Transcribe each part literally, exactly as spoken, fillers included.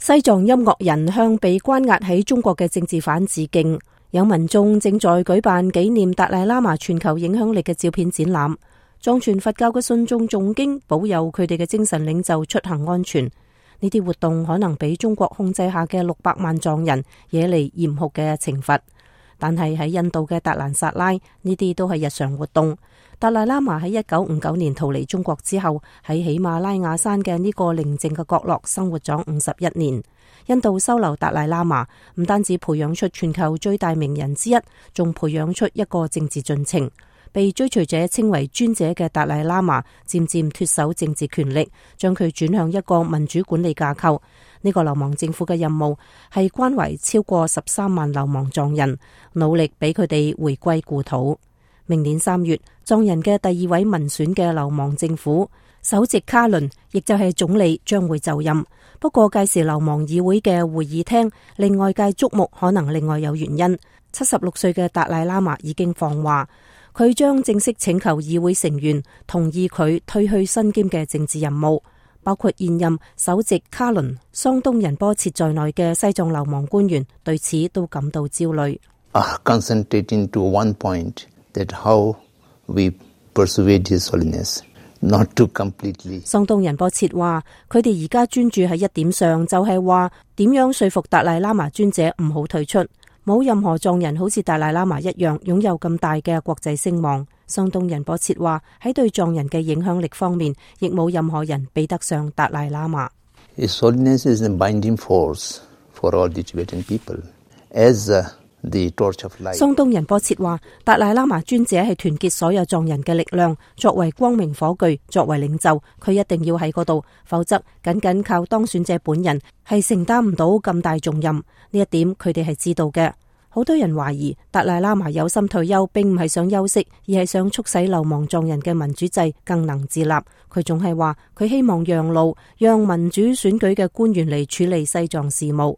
西藏音樂人向被關押喺中國嘅政治犯致敬。有民眾正在舉辦紀念達賴喇嘛全球影響力嘅照片展覽。藏傳佛教嘅信眾誦經，保佑佢哋嘅精神領袖出行安全。呢啲活動可能俾中國控制下嘅六百萬藏人惹嚟嚴酷嘅懲罰。但係喺印度嘅達蘭薩拉，呢啲都係日常活動。達賴喇嘛喺一九五九年逃離中國之後，喺喜馬拉雅山嘅呢個寧靜嘅角落生活咗五十一年。印度收留達賴喇嘛，唔單止培養出全球最大名人之一，仲培養出一個政治進程。被追隨者稱為尊者嘅達賴喇嘛，漸漸脫手政治權力，將佢轉向一個民主管理架構。呢個流亡政府嘅任務係關懷超過十三萬流亡藏人，努力俾佢哋回歸故土。明年三月，藏人嘅第二位民選嘅流亡政府首席卡倫，亦就係總理，將會就任。不過屆時流亡議會嘅會議廳令外界矚目，可能另外有原因。七十六歲嘅達賴喇嘛已經放話，佢將正式請求議會成員同意佢退去身兼嘅政治任務，包括現任首席卡倫、桑東仁波切在內嘅西藏流亡官員對此都感到焦慮。Uh, concentrating to one point that how we persuade His Holiness not to completely。桑東仁波切話，佢哋而家專注喺一點上，就係話點樣說服達賴喇嘛尊者唔好退出。冇任何藏人好似達賴喇嘛一樣擁有咁大嘅國際聲望。桑東仁波切話，喺對藏人嘅影響力方面，亦冇任何人比得上達賴喇嘛。His Holiness is a binding force for all the Tibetan people. As the torch of light。桑東仁波切話，達賴喇嘛尊者係團結所有藏人嘅力量，作為光明火炬，作為領袖，佢一定要喺嗰度，否則僅僅靠當選者本人係承擔唔到咁大重任。呢一點佢哋係知道嘅。好多人懷疑達賴喇嘛有心退休，並唔係想休息，而係想促使流亡藏人嘅民主制更能自立。佢仲係話佢希望讓路，讓民主選舉嘅官員嚟處理西藏事務。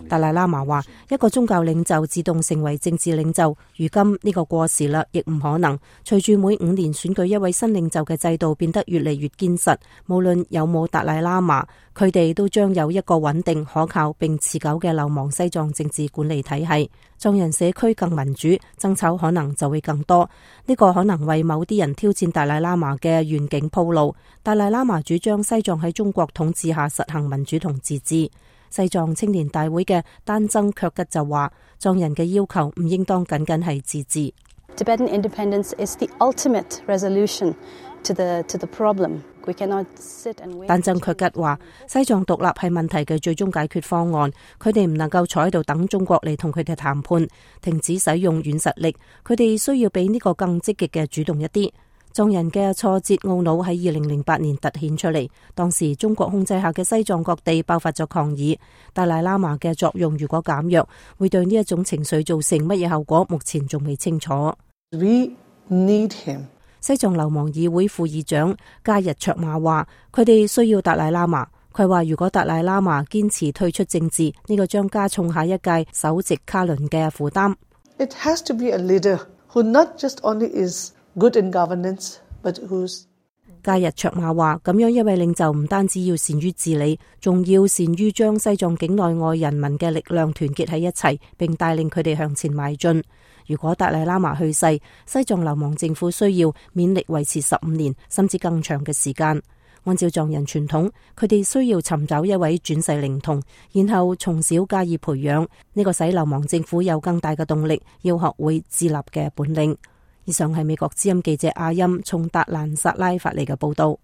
達賴喇嘛話，一個宗教領袖自動成為政治領袖，如今呢個過時啦，亦唔可能。隨住每五年選舉一位新領袖嘅制度變得越嚟越堅實，無論有冇達賴喇嘛，佢哋都將有一個穩定、可靠並持久嘅流亡西藏政治管理體系。藏人社區更民主，爭吵可能就會更多。呢個可能為某啲人挑戰達賴喇嘛嘅願景鋪路。達賴喇嘛主張西藏喺中國統治下實行民主同自治。西藏青年大會嘅丹增卻吉就話，藏人嘅要求唔應當僅僅係自治。Tibetan independence is the ultimate resolution to the to the problem. We cannot sit and wait. 丹增卻吉話，西藏獨立係問題嘅最終解決方案，佢哋唔能夠坐喺度等中國嚟同佢哋談判，停止使用軟實力，佢哋需要比呢個更積極嘅主動一啲。藏人嘅挫折懊惱喺二零零八年突顯出嚟，當時中國控制下嘅西藏各地爆發咗抗議。達賴喇嘛嘅作用如果減弱，會對呢一種情緒造成乜嘢後果，目前仲未清楚。We need him. 西藏流亡議會副議長加日卓瑪話，佢哋需要達賴喇嘛。佢話如果達賴喇嘛堅持退出政治，呢、這個將加重下一屆首席卡倫嘅負擔。It has to be a leader who not just only is good in governance, but who's 加日卓瑪話，咁樣一位領袖唔單止要善於治理，仲要善於將西藏境內外人民嘅力量團結喺一齊，並帶領佢哋向前邁進。如果達賴喇嘛去世，西藏流亡政府需要勉力維持十五年甚至更長嘅時間。按照藏人傳統，佢哋需要尋找一位轉世靈童，然後從小加以培養，呢、這個使流亡政府有更大嘅動力，要學會自立嘅本領。以上係美國之音記者阿音從達蘭薩拉發嚟嘅報道。